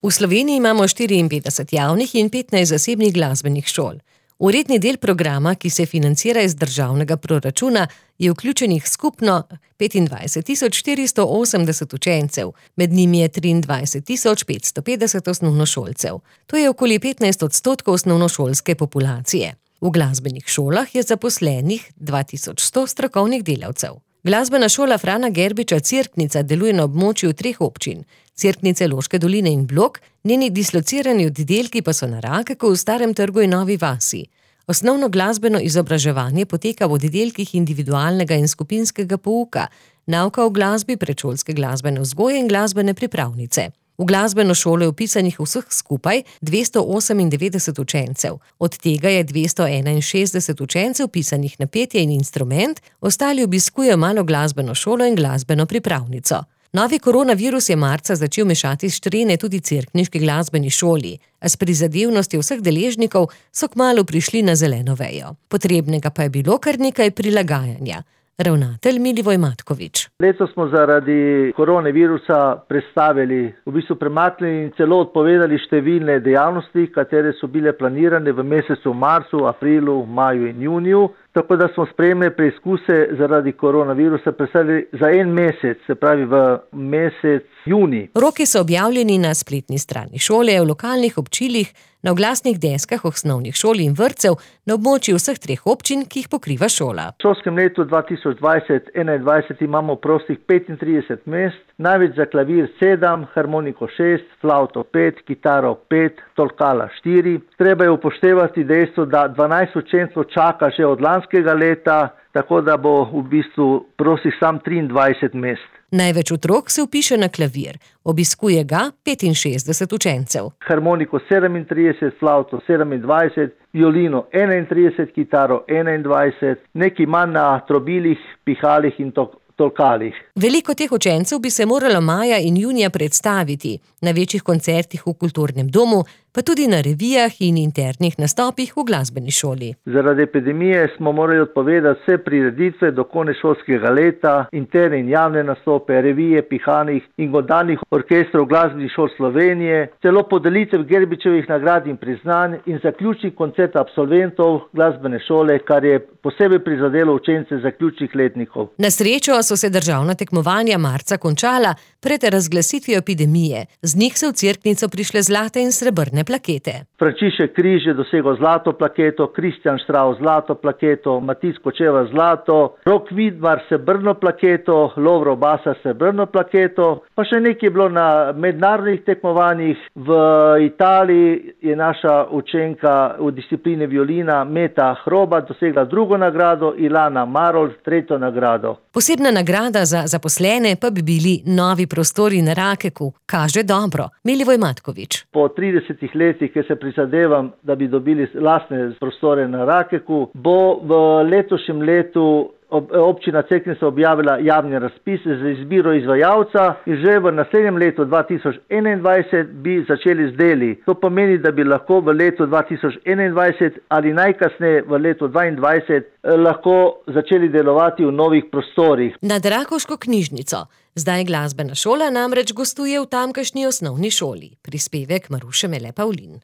V Sloveniji imamo 54 javnih in 15 zasebnih glasbenih šol. V redni del programa, ki se financira iz državnega proračuna, je vključenih skupno 25.480 učencev, med njimi je 23.550 osnovnošolcev. To je okoli 15% osnovnošolske populacije. V glasbenih šolah je zaposlenih 2100 strokovnih delavcev. Glasbena šola Frana Gerbiča Cerknica deluje na območju 3 občin: Cerknice, Loške doline in Blok, njeni dislocirani oddelki pa so na Rakeku, v Starem trgu in Novi vasi. Osnovno glasbeno izobraževanje poteka v oddelkih individualnega in skupinskega pouka, nauka o glasbi, predšolske glasbene vzgoje in glasbene pripravnice. V glasbeno šolo je vpisanih vseh skupaj 298 učencev, od tega je 261 učencev vpisanih na petje in instrument, ostali obiskujejo malo glasbeno šolo in glasbeno pripravnico. Novi koronavirus je marca začel mešati štrene tudi cerkniški glasbeni šoli, a s prizadevnostjo vseh deležnikov so kmalu prišli na zeleno vejo. Potrebnega pa je bilo kar nekaj prilagajanja. Ravnatelj Milivoj Matkovič. Letos smo zaradi koronavirusa premaknili in celo odpovedali številne dejavnosti, katere so bile planirane v mesecu marcu, aprilu, maju in juniju. Tako da smo sprejemne preizkuse zaradi koronavirusa prestavili za en mesec, se pravi v mesec junij. Roki so objavljeni na spletni strani šole, v lokalnih občilih, na oglasnih deskah osnovnih šol in vrtcev na območju vseh 3 občin, ki jih pokriva šola. V šolskem letu 2020-2021 imamo prostih 35 mest, največ za klavir 7, harmoniko 6, flavto 5, kitaro 5, tolkala 4. Treba je upoštevati dejstvo, da 12 učencev čaka že od lanskega leta, tako da bo v bistvu prostih sam 23 mest. Največ otrok se vpiše na klavir, obiskuje ga 65 učencev. Harmoniko 37, flavto 27, violino 31, kitaro 21, nekaj manj na trobilih, pihalih in tolkalih. Veliko teh učencev bi se moralo maja in junija predstaviti na večjih koncertih v kulturnem domu, pa tudi na revijah in internih nastopih v glasbeni šoli. Zaradi epidemije smo morali odpovedati vse prireditve do konca šolskega leta, interne in javne nastope, revije, pihanih in godalnih orkestrov glasbenih šol Slovenije, celo podelitev Gerbičevih nagrad in priznanj in zaključni koncert absolventov glasbene šole, kar je posebej prizadelo učence zaključnih letnikov. Na srečo so se državna tekmovanja marca končala pred razglasitvijo epidemije. Z njih so v Cerknico prišle zlate in srebrne plakete. Frančišek Križ je dosegel zlato plaketo, Kristjan Štravs zlato plaketo, Matic Kočeva zlato, Rok Vidmar srebrno plaketo, Lovro Basa srebrno plaketo, pa še nekaj je bilo na mednarodnih tekmovanjih. V Italiji je naša učenka v disciplini violina Meta Hroba dosegla 2. nagrado, Ilana Marol 3. nagrado. Posebna nagrada za zaposlene pa bi bili novi prostori na Rakeku. Kaže dobro. Milivoj Matkovič. Po 30 letih, ki se prizadevam, da bi dobili lastne prostore na Rakeku, bo v letošnjem letu občina Cerknica objavila javni razpis za izbiro izvajalca in že v naslednjem letu 2021 bi začeli z deli. To pomeni, da bi lahko v letu 2021 ali najkasneje v letu 2022 lahko začeli delovati v novih prostorih. Nad Rakovško knjižnico. Zdaj glasbena šola namreč gostuje v tamkajšnji osnovni šoli. Prispevek Maruše Mele Pavlin.